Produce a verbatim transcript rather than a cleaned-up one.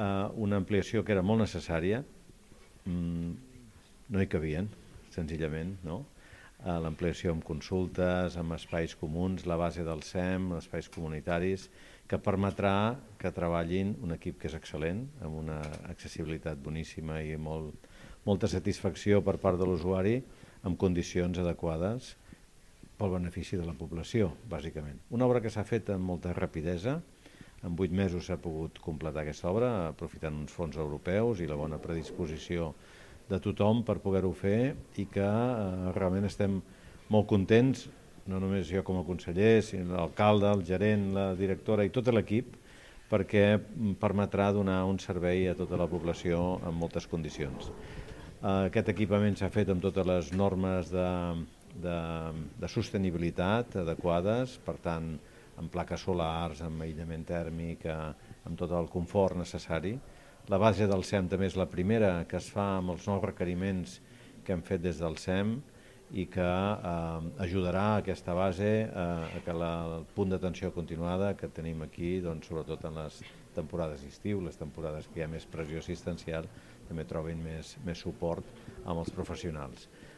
una ampliació que era molt necessària, no hi cabien, senzillament, no? L'ampliació amb consultes, amb espais comuns, la base del S E M, espais comunitaris, que permetrà que treballin un equip que és excel·lent, amb una accessibilitat boníssima i molt, molta satisfacció per part de l'usuari, amb condicions adequades pel benefici de la població, bàsicament. Una obra que s'ha fet amb molta rapidesa, en vuit mesos s'ha pogut completar aquesta obra, aprofitant uns fons europeus i la bona predisposició de tothom per poder-ho fer i que eh, realment estem molt contents, no només jo com a conseller, sinó l'alcalde, el gerent, la directora i tot l'equip, perquè permetrà donar un servei a tota la població en moltes condicions. Eh, aquest equipament s'ha fet amb totes les normes de, de, de sostenibilitat adequades, per tant, amb plaques solars, amb aïllament tèrmic, amb tot el confort necessari. La base del S E M també és la primera que es fa amb els nous requeriments que hem fet des del S E M i que eh, ajudarà a aquesta base eh, a que la, el punt d'atenció continuada que tenim aquí, doncs, sobretot en les temporades d'estiu, les temporades que hi ha més pressió assistencial, també trobin més, més suport amb els professionals.